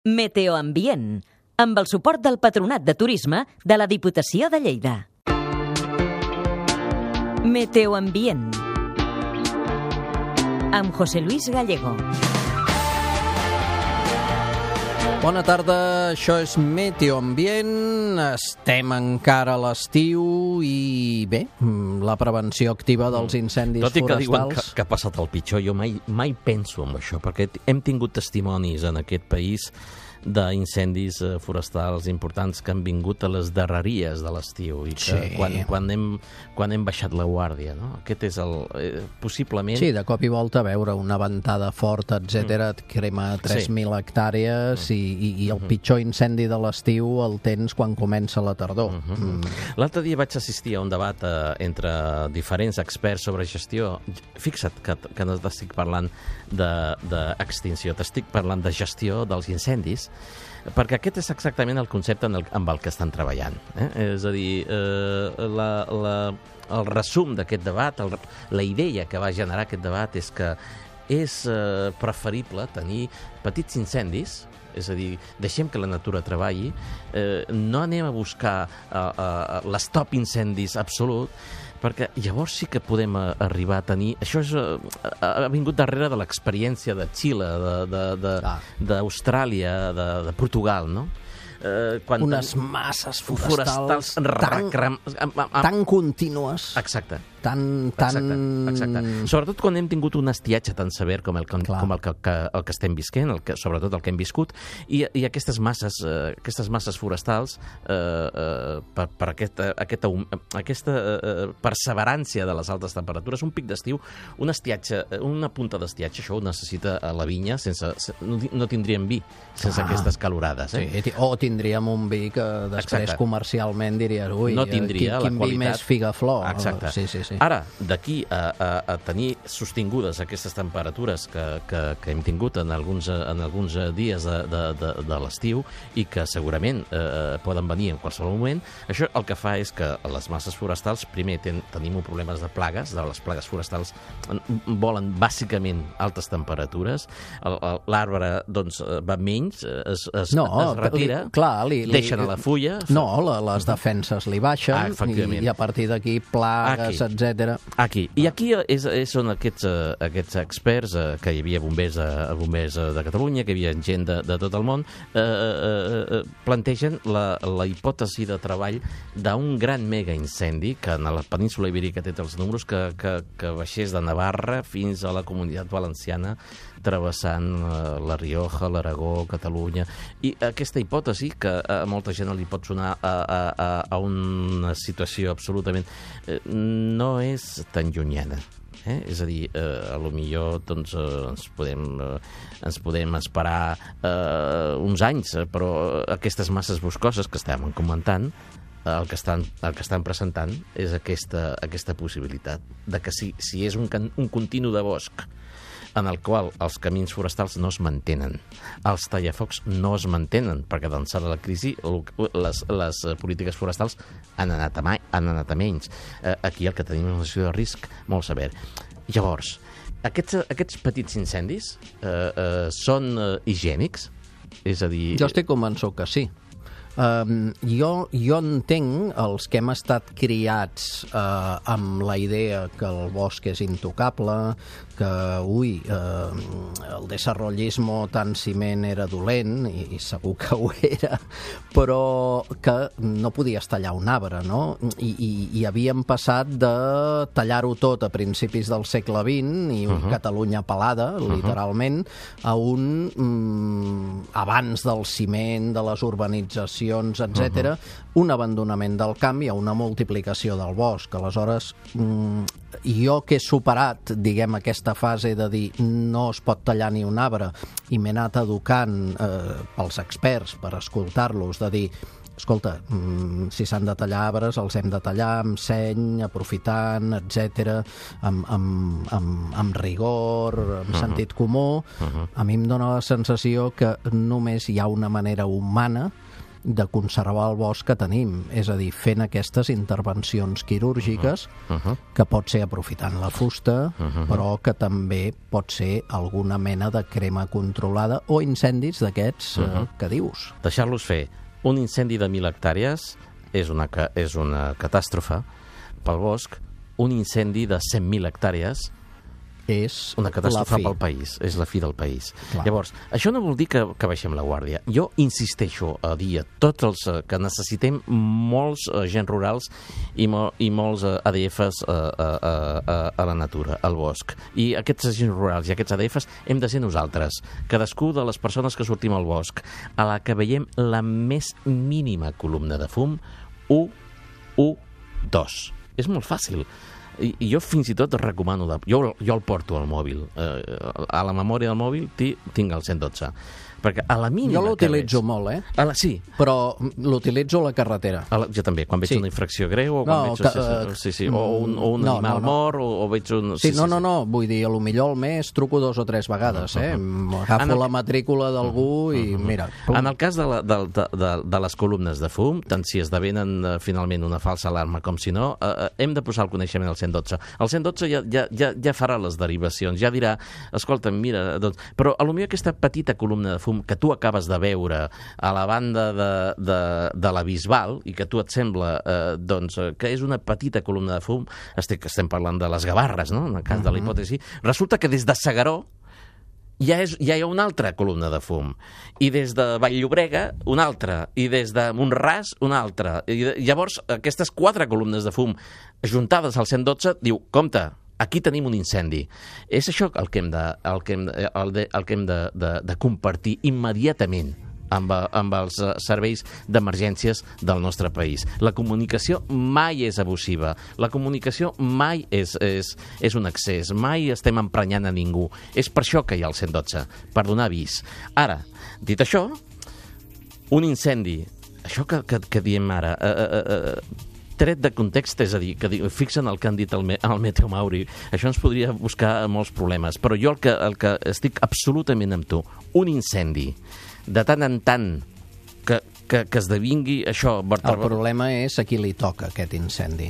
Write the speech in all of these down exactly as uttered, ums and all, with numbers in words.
Meteoambient, amb el suport del Patronat de Turisme de la Diputació de Lleida. Meteoambient, amb José Luis Gallego. Bona tarda, això és Meteoambient, estem encara a l'estiu i bé, la prevenció activa dels incendis forestals... Tot i que forestals... diuen que, que ha passat el pitjor, jo mai, mai penso en això, perquè hem tingut testimonis en aquest país d'incendis forestals importants que han vingut a les darreries de l'estiu i que Sí. quan, quan, hem, quan hem baixat la guàrdia, no? Aquest és el... Eh, possiblement... Sí, de cop i volta veure una ventada forta, etcètera, et crema tres mil hectàrees i, i, i el pitjor incendi de l'estiu el tens quan comença la tardor. Uh -huh. mm. L'altre dia vaig assistir a un debat eh, entre diferents experts sobre gestió. Fixa't que, que no t'estic parlant d'extinció, t'estic parlant de gestió dels incendis, perquè aquest és exactament el concepte en el, amb el que estan treballant. Eh? És a dir, eh, la, la, el resum d'aquest debat, el, la idea que va generar aquest debat és que és eh, preferible tenir petits incendis, és a dir, deixem que la natura treballi, eh, no anem a buscar eh, eh, l'estop incendis absolut, perquè llavors sí que podem a, arribar a tenir... Això és, uh, ha vingut darrere de l'experiència de Xile, d'Austràlia, de, de, de, de Portugal, no? Uh, quan Unes ten... masses forestals, forestals tan, tan contínues, Exacte. tan... tan... Exacte, exacte. Sobretot quan hem tingut un estiatge tan sever com el, com, com el, que, que, el que estem visquent, el que, sobretot el que hem viscut, i, i aquestes masses, eh, aquestes masses forestals, eh, eh, per, per aquesta, aquesta, aquesta eh, perseverància de les altes temperatures, un pic d'estiu, un estiatge, una punta d'estiatge, això ho necessita a la vinya, sense, no, no tindríem vi sense ah, aquestes calorades. Eh? Sí, o tindríem un vi que després Exacte. Comercialment diries, ui, no tindria quin, quin la qualitat. Vi més figaflor. Exacte. Sí, sí, sí. Ara, d'aquí a, a, a tenir sostingudes aquestes temperatures que, que, que hem tingut en alguns, en alguns dies de, de, de, de l'estiu i que segurament eh, poden venir en qualsevol moment, això el que fa és que les masses forestals, primer ten, tenim un problema de plagues, de les plagues forestals volen bàsicament altes temperatures, l'arbre doncs, va menys, es, es, no, es retira, li, clar, li, li, deixen a la fulla... No, la, les defenses li baixen ah, i, i a partir d'aquí plagues, etcètera. Aquí. I aquí és, és són aquests, uh, aquests experts, uh, que hi havia bombers, uh, bombers uh, de Catalunya, que hi havia gent de, de tot el món, uh, uh, uh, plantegen la, la hipòtesi de treball d'un gran mega incendi que en la península Ibèrica té els números que, que, que baixés de Navarra fins a la Comunitat Valenciana, travessant uh, la Rioja, l'Aragó, Catalunya, i aquesta hipòtesi, que a molta gent li pot sonar a, a, a una situació absolutament... Eh, no és tan llunyana. Eh? És a dir, eh, a lo millor doncs, eh, ens, podem, eh, ens podem esperar eh, uns anys, eh, però aquestes masses boscoses que estàvem comentant, eh, el, que estan, el que estan presentant és aquesta, aquesta possibilitat de que si, si és un, un continu de bosc en el qual els camins forestals no es mantenen, els tallafocs no es mantenen, perquè d'ençà de la crisi les, les polítiques forestals han anat a, mai, han anat a menys. Eh, aquí el que tenim és una situació de risc molt sever. Llavors, aquests, aquests petits incendis eh, eh, són eh, higiènics? És a dir... Jo estic convençut que sí. Um, jo, jo entenc els que hem estat criats uh, amb la idea que el bosc és intocable, que, ui, uh, el desarrollismo tan ciment era dolent, i, i segur que ho era, però que no podies tallar un arbre, no? I, i, i havíem passat de tallar-ho tot a principis del segle vint i uh-huh. Catalunya pelada, uh-huh. literalment, a un um, abans del ciment, de les urbanitzacions, etcètera, uh-huh. un abandonament del camp i una multiplicació del bosc. Aleshores, um, jo que he superat, diguem, aquesta fase de dir no es pot tallar ni un arbre i m'he anat educant eh, pels experts per escoltar-los, de dir escolta, mm, si s'han de tallar arbres els hem de tallar amb seny, aprofitant, etcètera, amb, amb, amb, amb rigor, amb uh-huh. sentit comú. Uh-huh. A mi em dóna la sensació que només hi ha una manera humana de conservar el bosc que tenim, és a dir, fent aquestes intervencions quirúrgiques uh -huh. que pot ser aprofitant la fusta, uh -huh. però que també pot ser alguna mena de crema controlada o incendis d'aquests uh -huh. eh, que dius. Deixar-los fer un incendi de mil hectàrees és una, és una catàstrofe pel bosc, un incendi de cent mil hectàrees és una catàstrofe pel país, és la fi del país. Clar. Llavors, això no vol dir que, que baixem la guàrdia. Jo insisteixo a dir a tots els uh, que necessitem molts uh, agents rurals i, mo i molts uh, A D Fs uh, uh, uh, a la natura, al bosc. I aquests agents rurals i aquests A D Fs hem de ser nosaltres, cadascú de les persones que sortim al bosc, a la que veiem la més mínima columna de fum, u, u, dos. És molt fàcil. I, i jo fins i tot recomano, de, jo, jo el porto al mòbil, eh, a la memòria del mòbil tinc el cent dotze, perquè a la mínima... Jo l'utilitzo molt, eh? A la, sí. Però l'utilitzo a la carretera. A la, jo també, quan veig sí. una infracció greu o quan no, veig que, uh, sí, sí, o un, o un no, animal no, no. mort o, o veig un... Sí, sí, no, sí, no, sí. no, vull dir, a lo millor al mes truco dos o tres vegades, eh? Agafo la matrícula d'algú i mira... Pum. En el cas de, la, de, de, de, de les columnes de fum, tant si esdevenen uh, finalment una falsa alarma com si no, uh, hem de posar el coneixement al cent dotze. El cent dotze ja, ja, ja, ja farà les derivacions, ja dirà, escolta, mira, doncs... Però potser aquesta petita columna de fum que tu acabes de veure a la banda de, de, de la Bisbal i que a tu et sembla eh, doncs, que és una petita columna de fum, estic, estem parlant de les Gavarres, no? En el cas uh -huh. de la hipòtesi, resulta que des de S'Agaró ja, és, ja hi ha una altra columna de fum, i des de Vall-llobrega una altra, i des de Mont-ras una altra, i de, llavors aquestes quatre columnes de fum juntades al cent dotze diu, compte, aquí tenim un incendi. És això el que hem de, el que hem, el de, el que hem de, de, de compartir immediatament amb, amb els serveis d'emergències del nostre país. La comunicació mai és abusiva, la comunicació mai és, és, és un excés, mai estem emprenyant a ningú. És per això que hi ha el cent dotze, per donar avís. Ara, dit això, un incendi, això que, que, que diem ara, eh, eh, eh, tret de context, és a dir, que fixen el que han dit el, me, el Meteo Mauri, això ens podria buscar molts problemes, però jo el que, el que estic absolutament amb tu, un incendi, de tant en tant que, que, que esdevingui això... El problema és a qui li toca aquest incendi.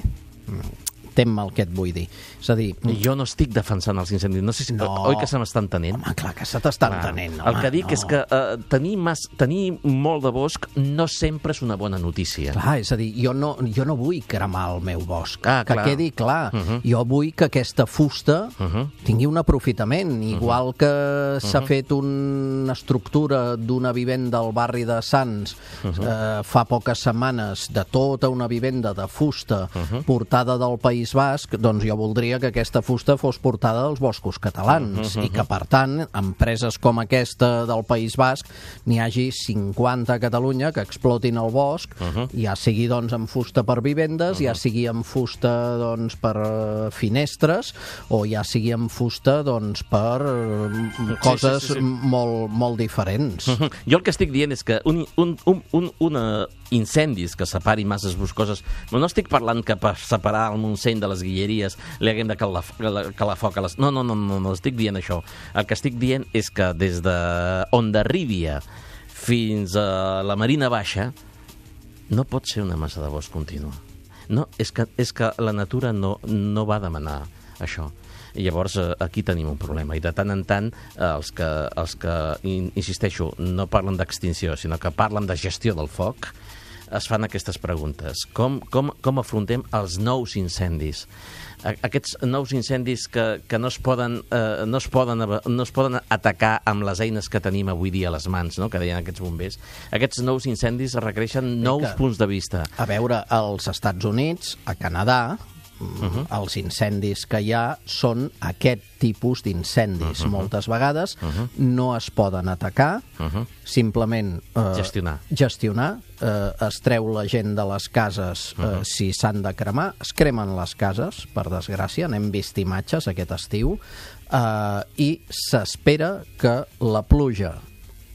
Tem el que et vull dir. És a dir... Jo no estic defensant els incendis. No sé si... No. Oi que se m'està entenent? Home, clar que se t'està entenent. El que dic no. és que uh, tenir, mas, tenir molt de bosc no sempre és una bona notícia. Clar, és a dir, jo no, jo no vull cremar el meu bosc. Ah, que clar. quedi clar. Uh -huh. Jo vull que aquesta fusta uh -huh. tingui un aprofitament. Igual uh -huh. que s'ha uh -huh. fet una estructura d'una vivenda al barri de Sants uh -huh. eh, fa poques setmanes, de tota una vivenda de fusta uh -huh. portada del País Basc, doncs jo voldria que aquesta fusta fos portada dels boscos catalans uh -huh. i que, per tant, empreses com aquesta del País Basc n'hi hagi cinquanta a Catalunya que explotin el bosc, uh -huh. ja sigui doncs amb fusta per vivendes, uh -huh. ja sigui amb fusta doncs per uh, finestres o ja sigui amb fusta doncs per uh, coses sí, sí, sí, sí. molt, molt diferents. Uh -huh. Jo el que estic dient és que un, un, un, un, una incendis que separin masses boscoses, no estic parlant que per separar el Montseny de les Guilleries li haguem de calar, calar foc a les... No, no, no, no, no estic dient això. El que estic dient és que des de Hondarribia fins a la Marina Baixa no pot ser una massa de bosc contínua. No, és que, és que la natura no, no va demanar això. I llavors aquí tenim un problema, i de tant en tant els que, els que insisteixo, no parlen d'extinció, sinó que parlen de gestió del foc, es fan aquestes preguntes. Com, com, com afrontem els nous incendis? Aquests nous incendis que, que no, es poden, eh, no, es poden, no es poden atacar amb les eines que tenim avui dia a les mans, no? Que deien aquests bombers. Aquests nous incendis requereixen nous que, punts de vista. A veure, als Estats Units, a Canadà, Uh-huh. els incendis que hi ha són aquest tipus d'incendis. Uh-huh. Moltes vegades uh-huh. no es poden atacar, uh-huh. simplement eh, gestionar. gestionar eh, es treu la gent de les cases eh, uh-huh. si s'han de cremar, es cremen les cases, per desgràcia, n'hem vist imatges aquest estiu, eh, i s'espera que la pluja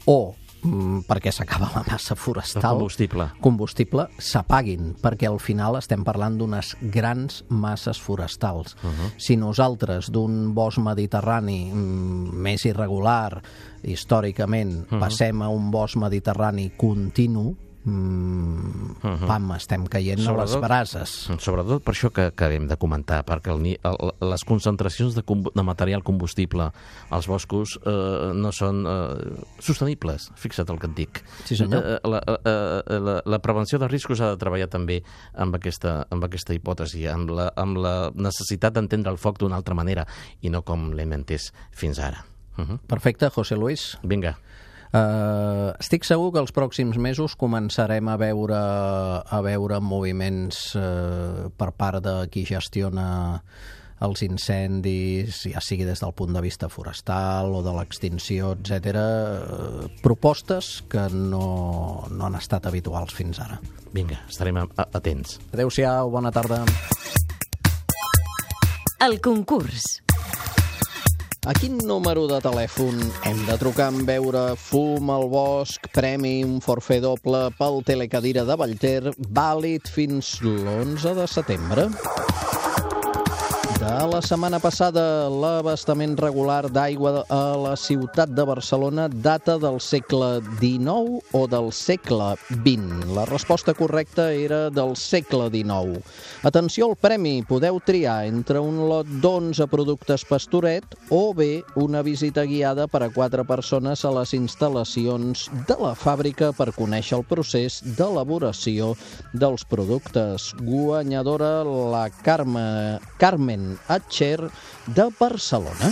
o perquè s'acaba la massa forestal, el combustible, combustible s'apaguin, perquè al final estem parlant d'unes grans masses forestals. Uh-huh. Si nosaltres d'un bosc mediterrani mm, més irregular, històricament, uh-huh. passem a un bosc mediterrani continu, mm, Uh-huh. pam, estem caient a les brases. Sobretot per això que, que hem de comentar, perquè el, ni- el, les concentracions de, combu- de material combustible als boscos eh, no són eh, sostenibles, fixa't el que et dic. Sí, senyor. Eh, la, eh, la, la prevenció de riscos ha de treballar també amb aquesta, amb aquesta hipòtesi, amb la, amb la necessitat d'entendre el foc d'una altra manera i no com l'hem entès fins ara. Uh-huh. Perfecte, José Luis. Vinga. Uh, estic segur que els pròxims mesos començarem a veure, a veure moviments uh, per part de qui gestiona els incendis, ja sigui des del punt de vista forestal o de l'extinció, etcètera, uh, propostes que no, no han estat habituals fins ara. Vinga, estarem a- a- atents. Adéu-siau, bona tarda. El concurs. A quin número de telèfon hem de trucar en veure Fum al bosc, premi, un forfait doble pel telecadira de Vallter, vàlid fins l'onze de setembre? De la setmana passada, l'abastament regular d'aigua a la ciutat de Barcelona data del segle dinou o del segle vint? La resposta correcta era del segle dinou. Atenció al premi, podeu triar entre un lot d'onze productes Pastoret o bé una visita guiada per a quatre persones a les instal·lacions de la fàbrica per conèixer el procés d'elaboració dels productes. Guanyadora la Carme, Carmen Atxer de Barcelona.